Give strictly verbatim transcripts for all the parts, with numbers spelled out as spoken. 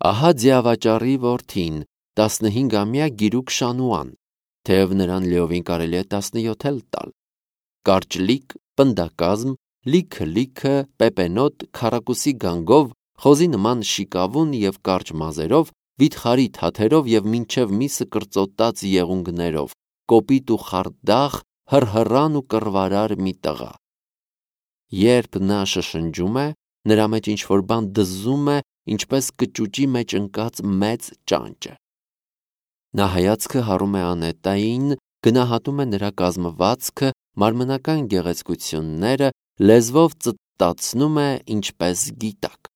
Ահա ձիավաճառի որդին, տասնհինգամյա գիրուկ Շանուան, թեև նրան լիովին կարելի է տասնյոթ էլ տալ։ Կարճլիկ, պնդակազմ, լիքը-լիքը, պեպենոտ, քառակուսի գանգով, խոզի նման շիկավուն և կարճ մազերով, վիթխարի թաթերով և մինչև միսը կրծոտած եղունգներով, կոպիտ ու խարդախ, հռհռան ու կռվարար մի տղա։ Երբ նա շշնջում է, նրա մեջ ինչ-որ բան դզում է, ինչպես կճուճի մեջ ընկած մեծ ճանճը։ Նա հայացքը հառում է Անետային, գնահատում է նրա կազմվածքը, մարմնական գեղեցկությունները, լեզվով ծտտացնում է, ինչպես գիտակ։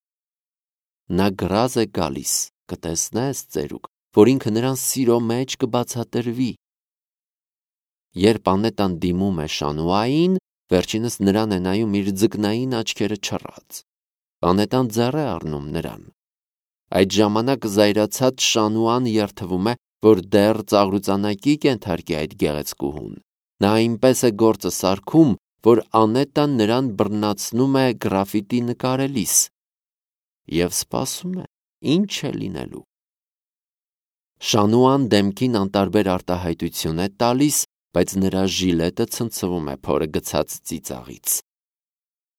Նա գրազ է գալիս, կտեսնես, ծերուկ, որ ինքը նրան սիրո մեջ կբացատրվի։ Երբ Անետան դիմում է Շանուային, վերջինս նրան է նայում իր ձկնային աչքերը չռած։ Անետան ձեռ է առնում նրան։ Այդ ժամանակ զայրացած Շանուան երդվում է, որ դեռ ծաղրուծանակի կենթարկի այդ գեղեցկուհուն։ Նա այնպես է գործը սարքում, որ Անետան նրան բռնացնում է գրաֆիտի նկարելիս և սպասում է, ինչ է լինելու։ Շանուան դեմքին անտարբեր արտահայտություն է տալիս, բայց նրա ժիլետը ցնցվում է փորը գցած ծիծաղից։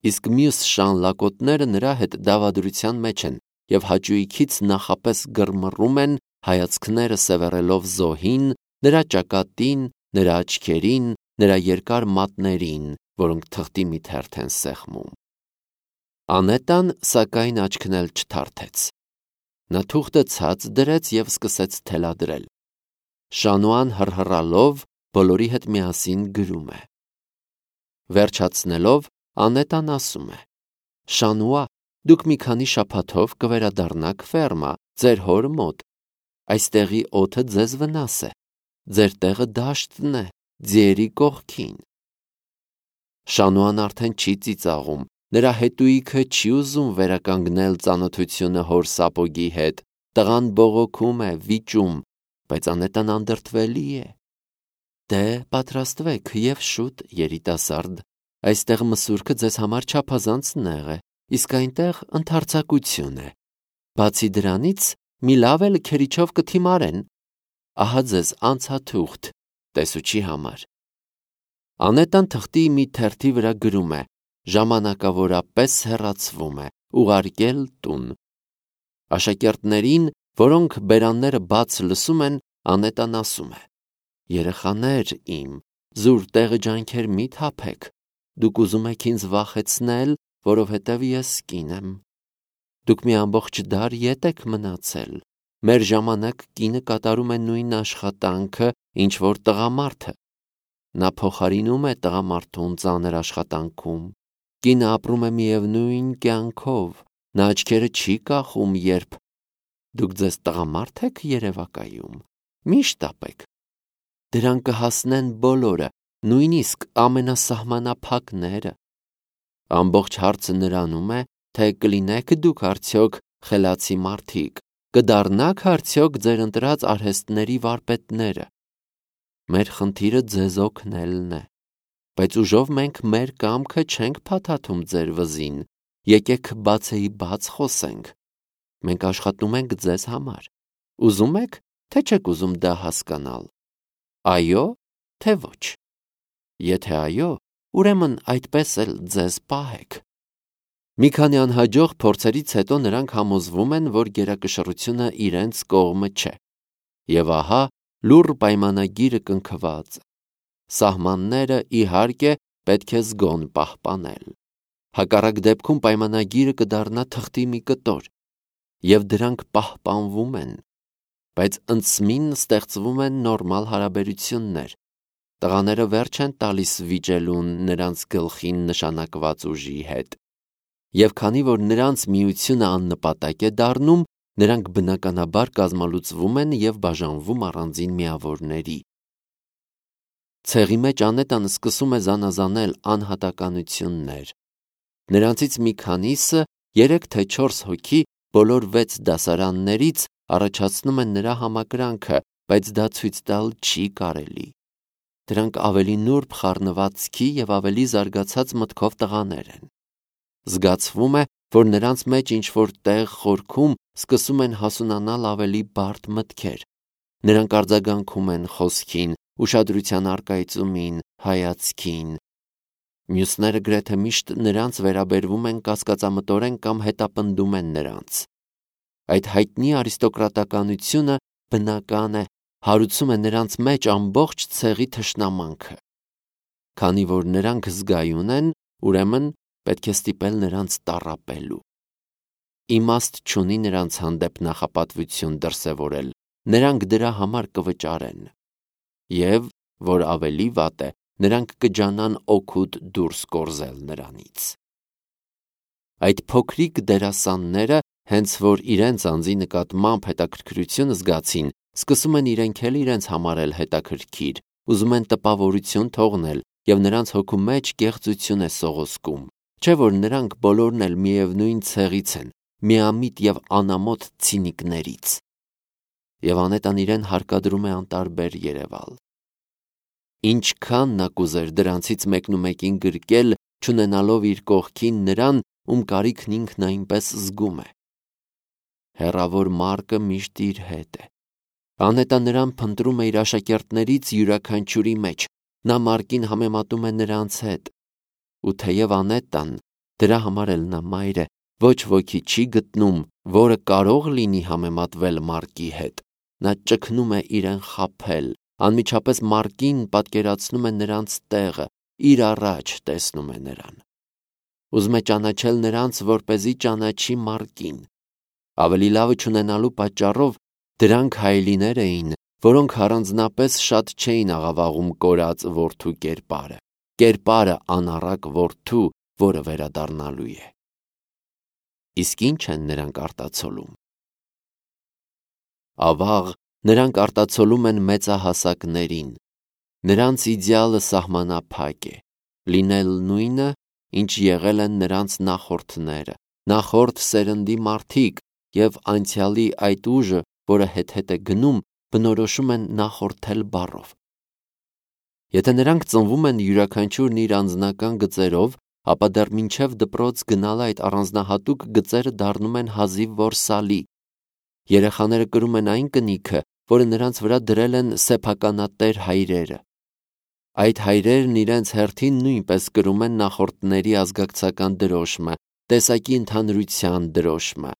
Իսկ մյուս շան լակոտները նրա հետ դավադրության մեջ են և հաճույքից նախապես գրմռում են, հայացքները սևեռելով զոհին, նրա ճակատին, նրա աչքերին, նրա երկար մատներին, որոնք թղթի մի թերթ են սեղմում։ Անետան, սակայն, աչքն էլ չթարթեց։ Նա թուղթը ցած դրեց և սկսեց թելադրել։ Շանուան հռհռալով բոլորի հետ միասին գրում է։ Վերջացնելով, Անետան ասում է. «Շանուա, դուք մի քանի շաբաթով կվերադառնաք ֆերմա, ձեր հոր մոտ։ Այստեղի օդը ձեզ վնաս է, ձեր տեղը դաշտն է, ձիերի կողքին»։ Շանուան արդեն չի ծիծաղում, նրա հետույքը չի ուզում վերականգնել ծանոթությունը հոր սապոգի հետ, տղան բողոքում է, վիճում, բայց Անետան անդրդվելի է։ Դե պատրաստվեք և շուտ, երիտասարդ, այստեղ մսուրքը ձեզ համար չափազանց նեղ է, իսկ այնտեղ ընդարձակություն է։ Բացի դրանից, մի լավ էլ քերիչով կթիմարեն։ Ահա ձեզ անցաթուղթ, տեսուչի համար։ Անետան թղթի մի թերթի վրա գրում է. ժամանակավորապես հեռացվում է, ուղարկել տուն։ Աշակերտներին, որոնք բերանները բաց լսում են, Անետան ասում է. երեխաներ իմ, զուր տեղը ջանքեր մի թափեք, դուք ուզում եք ինձ վախեցնել, որովհետև ես կին եմ։ Դուք մի ամբողջ դար ետ եք մնացել, մեր ժամանակ կինը կատարում է նույն աշխատանքը, ինչ որ տղամարդը։ Նա փոխարինում է տղամարդուն ծանր աշխատանքում։ Կինը ապրում է միևնույն կյանքով, նա աչքերը չի կախում, երբ դուք ձեզ տղամարդ եք երևակայում, մի շտապեք։ Դրան կհասնեն բոլորը, նույնիսկ ամենասահմանափակները։ Ամբողջ հարցը նրանում է, թե կլինեք դուք արդյոք խելացի մարդիկ, կդառնաք արդյոք ձեր ընտրած արհեստների վարպետները։ Մեր խնդիրը ձեզ օգնելն է, բայց ուժով մենք մեր կամքը չենք փաթաթում ձեր վզին, եկեք բացեի բաց խոսենք։ Մենք աշխատում ենք ձեզ համար։ Ուզում եք, թե չեք ուզում դա հասկանալ։ Այո, թե ոչ։ Եթե այո, ուրեմն այդպես էլ ձեզ պահեք։ Մի քանի անհաջող փորձերից հետո նրանք համոզվում են, որ գերակշռությունը իրենց կողմը չէ։ Եվ ահա լուռ պայմանագիրը կնքված է։ Սահմանները, իհարկե, պետք է զգոն պահպանել։ Հակառակ դեպքում պայմանագիրը կդառնա թղթի մի կտոր, և դրանք պահպանվում են, բայց ընծմին ստեղծվում են նորմալ հարաբերություններ։ Տղաները վերջ են տալիս վիճելուն նրանց գլխին նշանակված ուժի հետ։ Եվ քանի որ նրանց միությունը աննպատակ է դառնում, նրանք բնականաբար կազմալուծվում են և բաժանվում առանձին միավորների։ Ցեղի մեջ Անետան սկսում է զանազանել անհատականություններ։ Նրանցից մի քանիսը, երեք թե չորս հոգի, բոլոր վեց դասարաններից առաջացնում են նրա համակրանքը, բայց դա ցույց տալ չի կարելի։ Դրանք ավելի նուրբ խառնվածքի և ավելի զարգացած մտքով տղաներ են։ Զգացվում է, որ նրանց մեջ ինչ-որ տեղ խորքում սկսում են հասունանալ ավելի բարդ մտքեր։ Նրանք արձագանքում են խոսքին, ուշադրության առկայծումին, հայացքին։ Մյուսները գրեթե միշտ նրանց վերաբերվում են կասկածամտորեն կամ հետապնդում են նրանց։ Այդ հայտնի արիստոկրատականությունը բնական է, հարուցում է նրանց մեջ ամբողջ ցեղի թշնամանքը։ Քանի որ նրանք զգայուն են, ուրեմն պետք է ստիպել նրանց տառապելու։ Իմաստ չունի նրանց հանդեպ նախապատվություն դրսևորել, նրանք դրա համար կվճարեն։ Եվ, որ ավելի վատ է, նրանք կջանան օգուտ դուրս կորզել նրանից։ Այդ փոքրիկ դերասանները, հենց որ իրենց անձի նկատմամբ հետաքրքրություն զգացին, սկսում են իրենք էլ իրենց համարել հետաքրքիր, ուզում են տպավորություն թողնել, և նրանց հոգու մեջ կեղծություն է սողոսկում, չէ՞ որ նրանք բոլորն էլ միևնույն ցեղից են, միամիտ և անամոթ ցինիկներից։ Եվ անետան իրեն հարկադրում է անտարբեր երևալ։ Ինչքան նա կուզեր դրանցից մեկնումեկին գրկել, չունենալով իր կողքին նրան, ում կարիքն ինքն այնպես զգում է։ Հեռավոր Մարկը միշտ իր հետ է։ Անետան նրան փնտրում է իր աշակերտներից յուրաքանչյուրի մեջ, նա Մարկին համեմատում է նրանց հետ։ Ու թեև Անետան, դրա համար էլ նա մայր է, ոչ ոքի չի գտնում, որը կարող լինի համեմատվել Մարկի հետ, նա ճգնում է իրեն խաբել, անմիջապես Մարկին պատկերացնում է նրանց տեղը, իր առաջ տեսնում է նրան։ Ուզում է ճանաչել նրանց, որպեսզի ճանաչի Մարկին։ Ավելի լավը չունենալու պատճառով դրանք հայելիներ էին, որոնք առանձնապես շատ չէին աղավաղում կորած որդու կերպարը, կերպարը անառակ որդու, որը վերադառնալու է։ Իսկ ի՞նչ են նրանք արտացոլում։ Ավաղ, նրանք արտացոլում են մեծահասակներին։ Նրանց իդեալը սահմանափակ է, լինել նույնը, ինչ եղել են նրանց նախորդները, նախորդ սերնդի մարդիկ, և անցյալի այդ ուժը, որը հետ-հետ է գնում, բնորոշում են նախորդել բառով։ Եթե նրանք ծնվում են յուրաքանչյուրն իր անձնական գծերով, ապա դեռ մինչև դպրոց գնալը այդ առանձնահատուկ գծերը դառնում են հազիվ որ սալի։ Երեխաները կրում են այն կնիքը, որը նրանց վրա դրել են սեփականատեր հայրերը։ Այդ հայրերն իրենց հերթին նույնպես կրում են նախորդների ազգակցական դրոշմը, տեսակի ընդհանրության դրոշմը։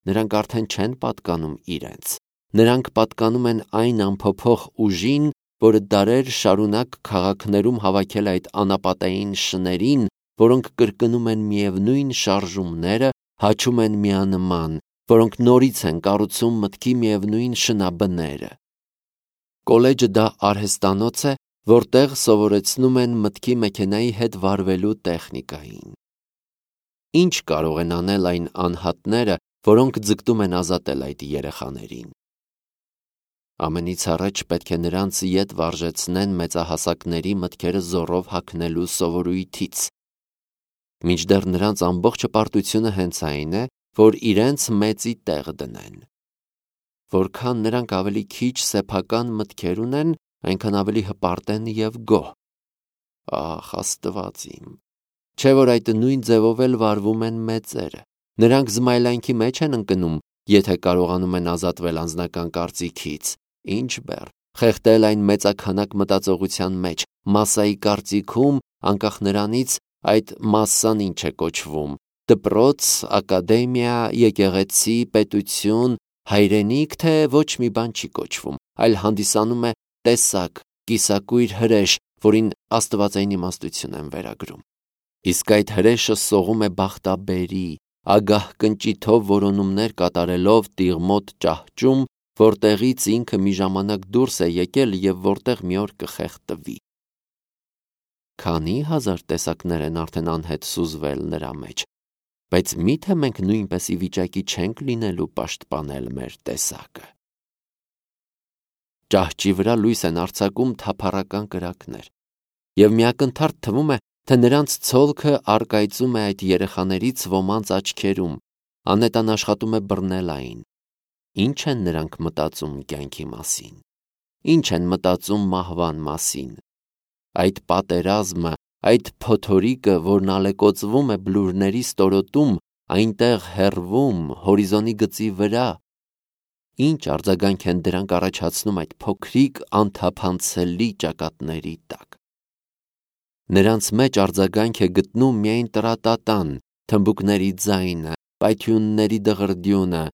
Նրանք արդեն չեն պատկանում իրենց։ Նրանք պատկանում են այն անփոփոխ ուժին, որը դարեր շարունակ քաղաքներում հավաքել այդ անապատային շներին, որոնք կրկնում են միևնույն շարժումները, հաչում են միանման, որոնք նորից են կառուցում մտքի միևնույն շնաբները։ Կոլեջը դա արհեստանոց է, որտեղ սովորեցնում են մտքի մեքենայի հետ վարվելու տեխնիկային։ Ինչ կարող են անել այն անհատները, որոնք ձգտում են ազատել այդ երեխաներին։ Ամենից առաջ պետք է նրանց ետ վարժեցնեն մեծահասակների մտքերը զոռով հագնելու սովորույթից։ Մինչդեռ նրանց ամբողջ հպարտությունը հենց այն է, որ իրենց մեծի տեղ դնեն։ Որքան նրանք ավելի քիչ սեփական մտքեր ունեն, այնքան ավելի հպարտ են և գոհ։ Ախ, Աստված իմ, չէ՞ որ այդ նույն ձևով էլ վարվում են մեծերը։ Նրանք զմայլանքի մեջ են ընկնում, եթե կարողանում են ազատվել անձնական կարծիքից, ինչ բեռ, խեղդել այն մեծաքանակ մտածողության մեջ, մասսայի կարծիքում, անկախ նրանից այդ մասսան ինչ է կոչվում՝ դպրոց, ակադեմիա, եկեղեցի, պետություն, հայրենիք, թե ոչ մի բան չի կոչվում, այլ հանդիսանում է տեսակ, կիսակույր հրեշ, որին աստվածային իմաստություն են վերագրում։ Իսկ այդ հրեշը սողում է բախտաբերի, ագահ կնճիթով որոնումներ կատարելով տիղմոտ ճահճում, որտեղից ինքը մի ժամանակ դուրս է եկել և որտեղ մի օր կխեղդվի։ Քանի հազար տեսակներ են արդեն անհետ սուզվել նրա մեջ, բայց մի՞թե մենք նույնպես ի վիճակի չենք լինելու պաշտպանել մեր տեսակը։ Ճահճի վրա լույս են արձակում թափառական կրակներ, և միակնթարթ թվում է, թե նրանց ցոլքը առկայծում է այդ երեխաներից ոմանց աչքերում, անետան աշխատում է բռնել այն։ Ինչ են նրանք մտածում կյանքի մասին։ Ինչ են մտածում մահվան մասին։ Այդ պատերազմը, այդ փոթորիկը, որն ալեկոծվում է բլուրների ստորոտում, այնտեղ հեռվում, հորիզոնի գծի վրա, ինչ արձագանք են դրանք առաջացնում այդ փոքրիկ անթափանցելի ճակատների տակ։ Նրանց մեջ արձագանք է գտնում միայն տրատատան, թմբուկների ձայնը, պայթյունների դղրդյունը,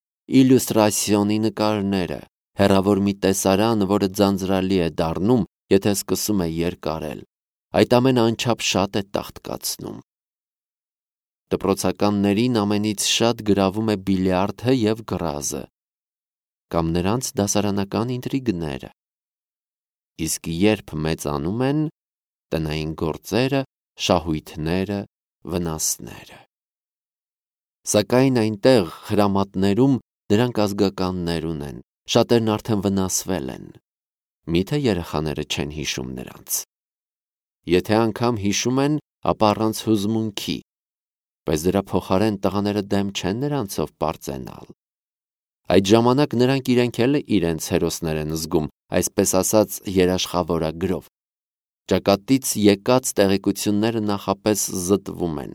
իլյուստրացիոնի նկարները, հեռավոր մի տեսարան, որը ձանձրալի է դառնում, եթե սկսում է երկարել։ Այդ ամենը անչափ շատ է տաղտկացնում։ Դպրոցականներին ամենից շատ գրավում է բիլիարդը և գրազը, կամ նրանց դասարանական ինտրիգները։ Իսկ երբ մեծանում են, տնային գործերը, շահույթները, վնասները։ Սակայն այնտեղ խրամատներում նրանք ազգականներ ունեն, շատերն արդեն վնասվել են։ Միթե երեխաները չեն հիշում նրանց։ Եթե անգամ հիշում են, ապա առանց հուզմունքի, բայց դրա փոխարեն տղաները դեմ չեն նրանցով պարծենալ։ Այդ ժամանակ նրանք իրենք էլ իրենց հերոսներ են զգում, այսպես ասած երաշխավորագրով։ Ճակատից եկած տեղեկությունները նախապես զտվում են,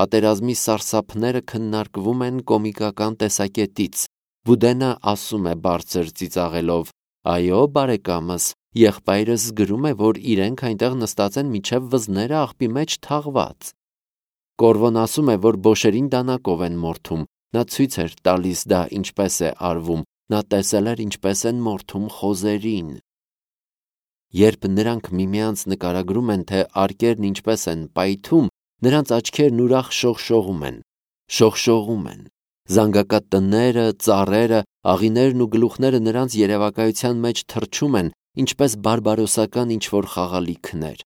պատերազմի սարսափները քննարկվում են կոմիկական տեսակետից։ Բուդենը ասում է բարձր ծիծաղելով. «Այո, բարեկամս, եղբայրս գրում է, որ իրենք այնտեղ նստած են մինչև վզները աղբի մեջ թաղված»։ Կորվոն ասում է, որ բոշերին դանակով են մորթում, նա ցույց էր տալիս դա ինչպես է արվում, նա տեսել էր ինչպես են մորթում խոզերին։ Երբ նրանք միմյանց նկարագրում են, թե արկերն ինչպես են պայթում, նրանց աչքերն ուրախ շողշողում են, շողշողում են։ Զանգակատ տները, ծառերը, աղիներն ու գլուխները նրանց երևակայության մեջ թռչում են, ինչպես բարբարոսական ինչ-որ խաղալիքներ։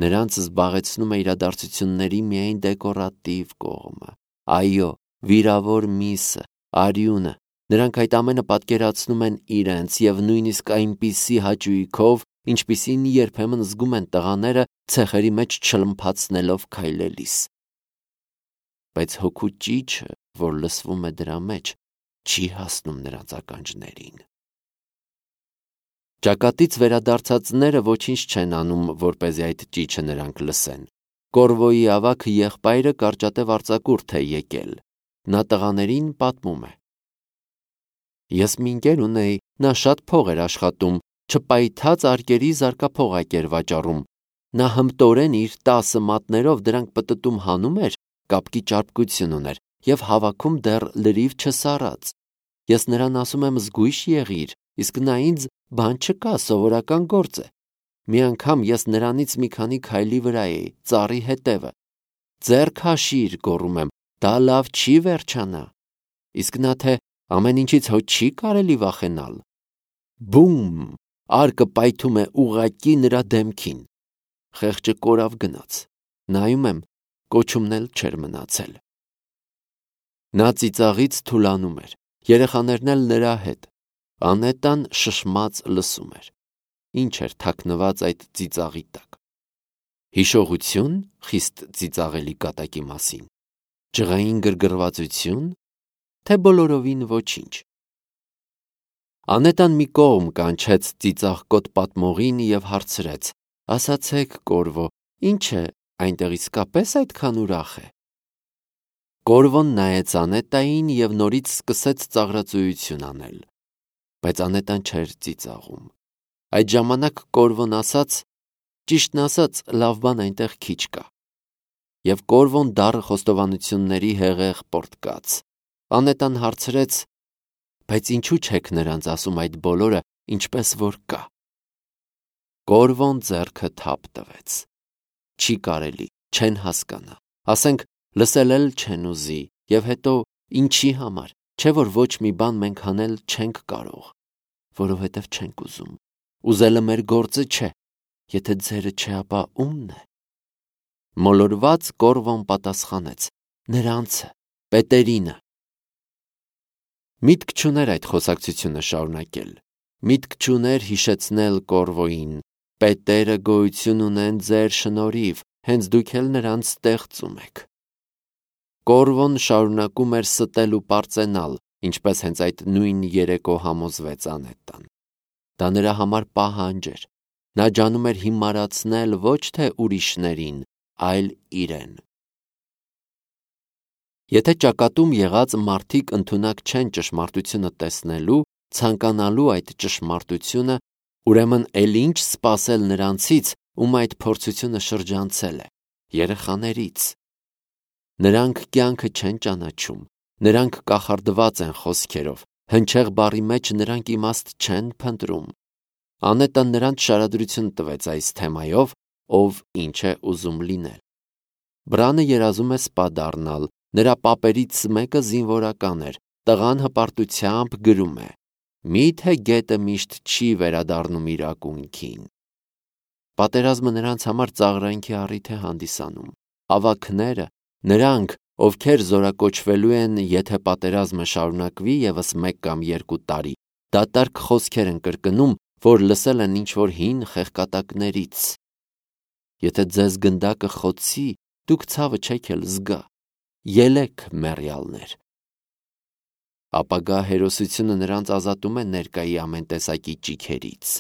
Նրանց զբաղեցնում է իրադարձությունների միայն դեկորատիվ կողմը։ Այո, վիրավոր միսը, արյունը, նրանք այդ ամենը պատկերացնում են իրենց և նույնիսկ այնպիսի հաճույքով, ինչպիսին երբեմն զգում են տղաները ցեխերի մեջ չլմփացնելով քայլելիս։ Բայց հոգու ճիչը, որ լսվում է դրա մեջ, չի հասնում նրանց ականջներին։ Ճակատից վերադարձածները ոչինչ չեն անում, որպեսզի այդ ճիչը նրանք լսեն։ Կորվոյի ավագ եղբայրը կարճատև արձակուրդ է եկել։ Նա տղաներին պատմում է. Ես մի ընկեր ունեի, նա շատ փող էր աշխատում, չպայթած արկերի զարկափողակ էր վաճառում։ Նա հմտորեն իր տասը մատներով դրանք պտտում հանում էր, կապկի ճարպկություն ուներ և հավաքում դեռ լրիվ չսառած։ Ես նրան ասում եմ զգույշ եղիր, իսկ նա ինձ բան չկա, սովորական գործ է։ Մի անգամ ես նրանից մի քանի քայլի վրա էի, ծառի հետևը։ Ձեռք հաշիր, գոռում եմ, դա լավ չի վերջանա։ Իսկ նա թե ամեն ինչից հո չի կարելի վախենալ։ Բում, արկը պայթում է ուղղակի նրա դեմքին։ Խեղճը կորավ գնաց։ Նայում եմ, կոչումն էլ չէր մնացել։ Նա ծիծաղից թուլանում էր, երեխաներն էլ նրա հետ։ Անետան շշմած լսում էր։ Ինչ էր թաքնված այդ ծիծաղի տակ։ Հիշողություն խիստ ծիծաղելի կատակի մասին։ Ջղային գրգռվածություն, թե բոլորովին ոչինչ։ Անետան մի կողմ կանչեց ծիծաղկոտ պատմողին և հարցրեց. ասացեք, Կորվո, ինչ է, այնտեղ իսկապես այդքան ուրախ է։ Կորվոն նայեց Անետային և նորից սկսեց ծաղրածույություն անել։ Բայց Անետան չէր ծիծաղում։ Այդ ժամանակ Կորվոն ասաց. ճիշտն ասած, լավ բան այնտեղ քիչ կա։ Եվ Կորվոն դառը խոստովանությունների հեղեղ պոռթկաց։ Անետան հարցրեց. բայց ինչու չեք նրանց ասում այդ բոլորը, ինչպես որ կա։ Կորվոն ձեռքը թափ տվեց։ Չի կարելի, չեն հասկանա, ասենք լսել էլ չեն ուզի, և հետո ինչի համար, չէ որ ոչ մի բան մենք անել չենք կարող, որովհետև չենք ուզում։ Ուզելը մեր գործը չէ, եթե ձերը չէ, ապա ումն է։ Մոլորված Կորվոն պատասխանեց. նրանցը, պետերինը։ Միտք չուներ այդ խոսակցությունը շարունակել։ Միտք չուներ հիշեցնել Կորվոյին. պետերը գոյություն ունեն ձեր շնորհիվ, հենց դուք էլ նրանց ստեղծում եք։ Կորվոն շարունակում էր ստել ու պարծենալ, ինչպես հենց այդ նույն երեկո համոզվեց Անետան։ Դա նրա համար պահանջ էր։ Նա ջանում էր հիմարացնել ոչ թե ուրիշներին, այլ իրեն։ Եթե ճակատում եղած մարդիկ ընդունակ չեն ճշմարտությունը տեսնելու, ցանկանալու այդ ճշմարտությունը, ուրեմն էլ ինչ սպասել նրանցից, ում այդ փորձությունը շրջանցել է, երեխաներից։ Նրանք կյանքը չեն ճանաչում, նրանք կախարդված են խոսքերով, հնչեղ բառի մեջ նրանք իմաստ չեն փնտրում։ Անետան նրանց շարադրություն տվեց այս թեմայով, ով ինչ է ուզում լինել։ Բրանը երազում է սպա դառնալ, նրա պապերից մեկը զինվորական էր, տղան հպարտությամբ գրում է. «Միթե գետը միշտ չի վերադառնում իր ակունքին»։ Պատերազմը նրանց համար ծաղրանքի առիթ է հանդիսանում։ Ավագները, նրանք, ովքեր զորակոչվելու են, եթե պատերազմը շարունակվի ևս մեկ կամ երկու տարի, դատարկ խոսքեր են կրկնում, որ լսել են ինչ-որ հին խեղկատակներից։ Եթե ձեզ գնդակը խոցի, դուք ցավը չեք էլ զգա։ Ելեք, մեռյալներ։ Ապագա հերոսությունը նրանց ազատում է ներկայի ամեն տեսակի ճիգերից։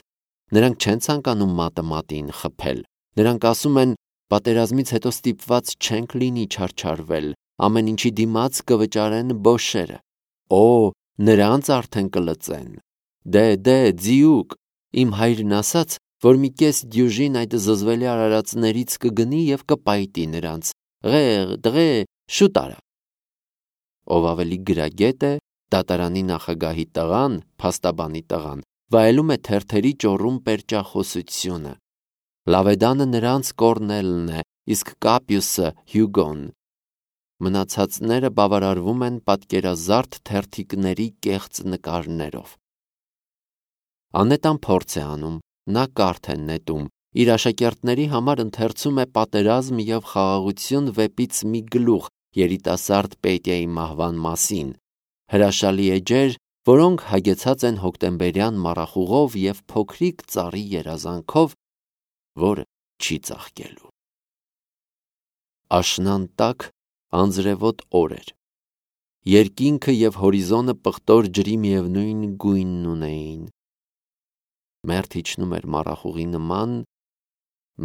Նրանք չեն ցանկանում մատը մատին խփել։ Նրանք ասում են, պատերազմից հետո ստիպված չենք լինի չարչարվել, ամեն ինչի դիմաց կվճարեն բոշերը։ Օ, նրանց արդեն կլծեն։ Դե, դե, ձիուկ, իմ հայրն ասաց, որ մի կես դյուժին այդ զզվելի արարածներից կգնի եւ կպայտի նրանց։ Ղեղ, դղե, շուտ արա։ Ով ավելի գրագետ է, դատարանի նախագահի տղան, փաստաբանի տղան, վայելում է թերթերի ճոռում պերճախոսությունը։ Լավեդանը նրանց Կորնելն է, իսկ Կապիուսը Հյուգոն։ Մնացածները բավարարվում են պատկերազարդ թերթիկների կեղծ նկարներով։ Անետան փորձ է անում, նա կարթ է նետում, իր աշակերտների համար ընթերցում է «Պատերազմ և խաղաղություն» վեպից մի գլուխ երիտասարդ Պետիայի մահվան մասին, հրաշալի էջեր, որոնք հագեցած են հոկտեմբերյան մառախուղով և փոքրիկ ծառի երազանքով, որը չի ծաղկելու։ Աշնան տաք անձրևոտ օր էր։ Երկինքը և հորիզոնը պղտոր ջրի միևնույն գույնն ունեին։ Մերթ իջնում էր մառախուղի նման,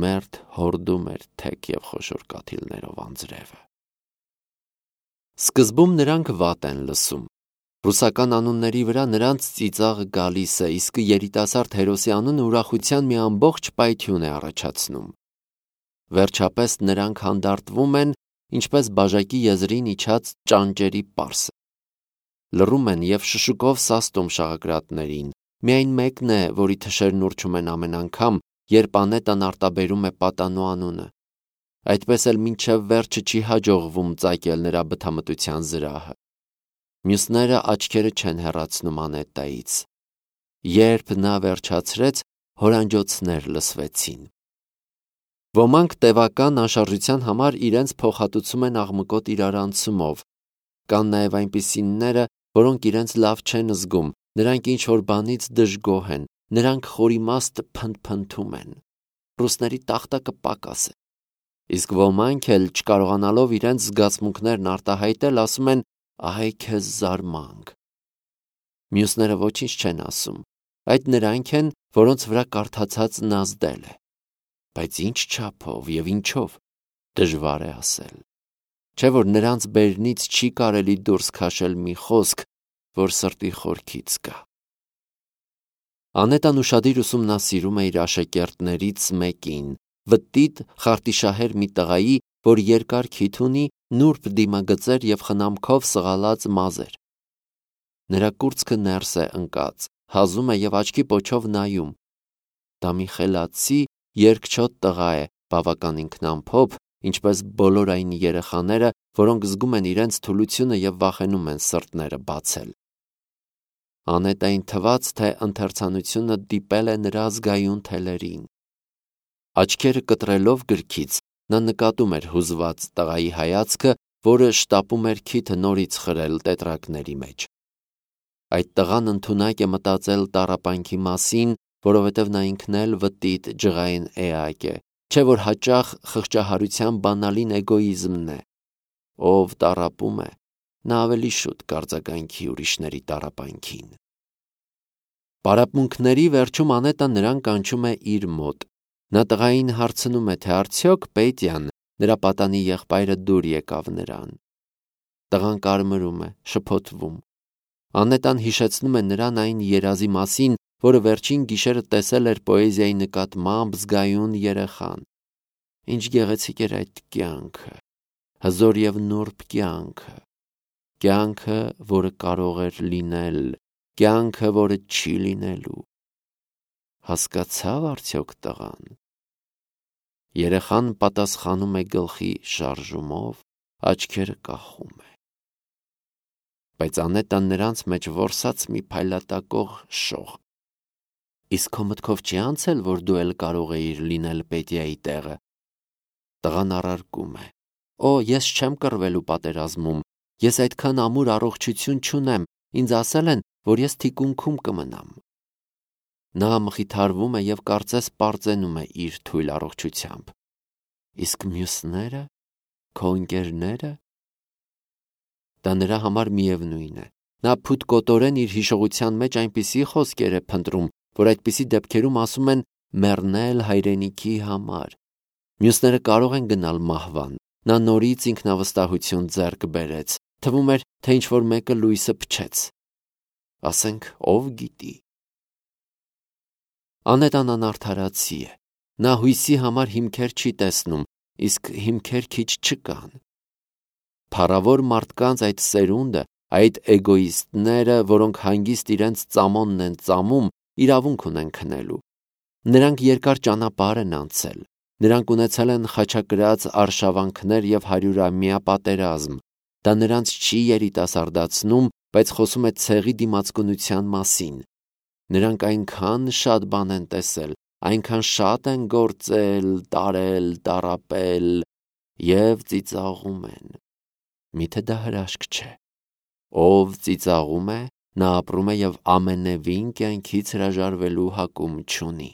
մերթ հորդում էր թեք և խոշոր կաթիլներով անձրևը։ Սկզբում նրանք վատ են լսում։ Ռուսական անունների վրա նրանց ծիծաղը գալիս է, իսկ երիտասարդ հերոսի անունը ուրախության մի ամբողջ պայթյուն է առաջացնում։ Վերջապես նրանք հանդարտվում են, ինչպես բաժակի եզրին իջած ճանճերի պարսը։ Լռում են և շշուկով սաստում շաղակրատներին։ Միայն մեկն է, որի թշերն ուռչում են ամեն անգամ, երբ Անետան արտաբերում է պատանու անունը։ Այդպես էլ մինչև վերջը չի հաջողվում ծակել նրա բթամտության զրահը։ Մյուսները աչքերը չեն հեռացնում Անետայից։ Երբ նա վերջացրեց, հորանջոցներ լսվեցին։ Ոմանք տևական անշարժության համար իրենց փոխհատուցում են աղմկոտ իրարանցումով։ Կան նաև այնպիսիները, որոնք իրենց լավ չեն զգում, նրանք ինչ-որ բանից դժգոհ են, նրանք խորիմաստ փնթփնթում են։ Ռուսների տախտակը պակաս է։ Իսկ ոմանք էլ, չկարողանալով իրենց զգացմունքներն արտահայտել, ասում են «Ահա քեզ զարմանք»։ Մյուսները ոչինչ չեն ասում։ Այդ նրանք են, որոնց վրա կարդացածն ազդել է։ Բայց ինչ չափով և ինչով, դժվար է ասել։ Չէ՞ որ նրանց բերնից չի կարելի դուրս քաշել մի խոսք, որ սրտի խորքից գա։ Անետան ուշադիր ուսումնասիրում է իր աշակերտներից մեկին, վտիտ խարտիշահեր մի տղայի, որ երկար քիթ ունի, նուրբ դիմագծեր և խնամքով սղալած մազեր։ Նրա կուրծքը ներս է ընկած, հազում է և աչքի պոչով նայում։ Դա մի խելացի, երկչոտ տղա է, բավական ինքնամփոփ, ինչպես բոլոր այն երեխաները, որոնք զգում են իրենց թուլությունը և վախենում են սրտները բացել։ Անետային թվաց, թե ընթերցանությունը դիպել է նրա զգայուն թելերին։ Աչքերը կտրելով գրքից, նա նկատում էր հուզված տղայի հայացքը, որը շտապում էր քիթը նորից խրել տետրակների մեջ։ Այդ տղան ընդունակ է մտածել տառապանքի մասին, որովհետև նա ինքն էլ վտիտ ջղային էակ է, չէ՞ որ հաճախ խղճահարության բանալին էգոիզմն է։ Ով տառապում է, նա ավելի շուտ կարձագանքի ուրիշների տառապանքին։ Պարապմունքների վերջում Անետան նրան կանչում է իր մոտ։ Նա տղային հարցնում է, թե արդյոք Պետյան, նրա պատանի եղբայրը դուր եկավ նրան։ Տղան կարմրում է, շփոթվում։ Անետան հիշեցնում է նրան այն երազի մասին, որը վերջին գիշերը տեսել էր պոեզիայի նկատմամբ զգայուն երեխան։ Ինչ գեղեցիկ էր այդ կյանքը, հզոր և նուրբ կյանքը, կյանքը, որը կարող էր լինել, կյանքը, որը չի լինելու։ Հասկացավ արդյոք տղան։ Երեխան պատասխանում է գլխի շարժումով, աչքերը կախում է։ Բայց Անետան նրանց մեջ որսաց մի փայլատակող շող։ Իսկ քո մտքով չի անցել, որ դու էլ կարող էիր լինել Պետիայի տեղը։ Տղան առարկում է. Օ, ես չեմ կռվելու պատերազմում, ես այդքան ամուր առողջություն չունեմ, ինձ ասել են, որ ես թիկունքում կմնամ։ Նա մխիթարվում է և կարծես պարծենում է իր թույլ առողջությամբ։ Իսկ մյուսնե՞րը, քո ընկերնե՞րը։ Դա նրա համար միևնույն է։ Նա փութկոտորեն իր հիշողության մեջ այնպիսի խոսքեր է փնտրում, որ այդպիսի դեպքերում ասում են մեռնել հայրենիքի համար։ Մյուսները կարող են գնալ մահվան։ Նա նորից ինքնավստահություն ձեռք բերեց։ Թվում էր, թե ինչ-որ մեկը լույսը փչեց։ Ասենք, ով գիտի։ Անետան անարդարացի է։ Նա հույսի համար հիմքեր չի տեսնում, իսկ հիմքեր քիչ չկան։ Փառավոր մարդկանց այդ սերունդը, այդ էգոիստները, որոնք հանգիստ իրենց ծամոնն են ծամում, իրավունք ունեն քնելու։ Նրանք երկար ճանապարհ են անցել։ Նրանք ունեցել են խաչակրաց արշավանքներ և հարյուրամյա պատերազմ։ Դա նրանց չի երիտասարդացնում, բայց խոսում է ցեղի դիմացկունության մասին։ Նրանք այնքան շատ բան են տեսել, այնքան շատ են գործել, տարել, տառապել և ծիծաղում են։ Միթե դա հրաշք չէ։ Ով ծիծաղում է, նա ապրում է և ամենևին կյանքից հրաժարվելու հակում չունի։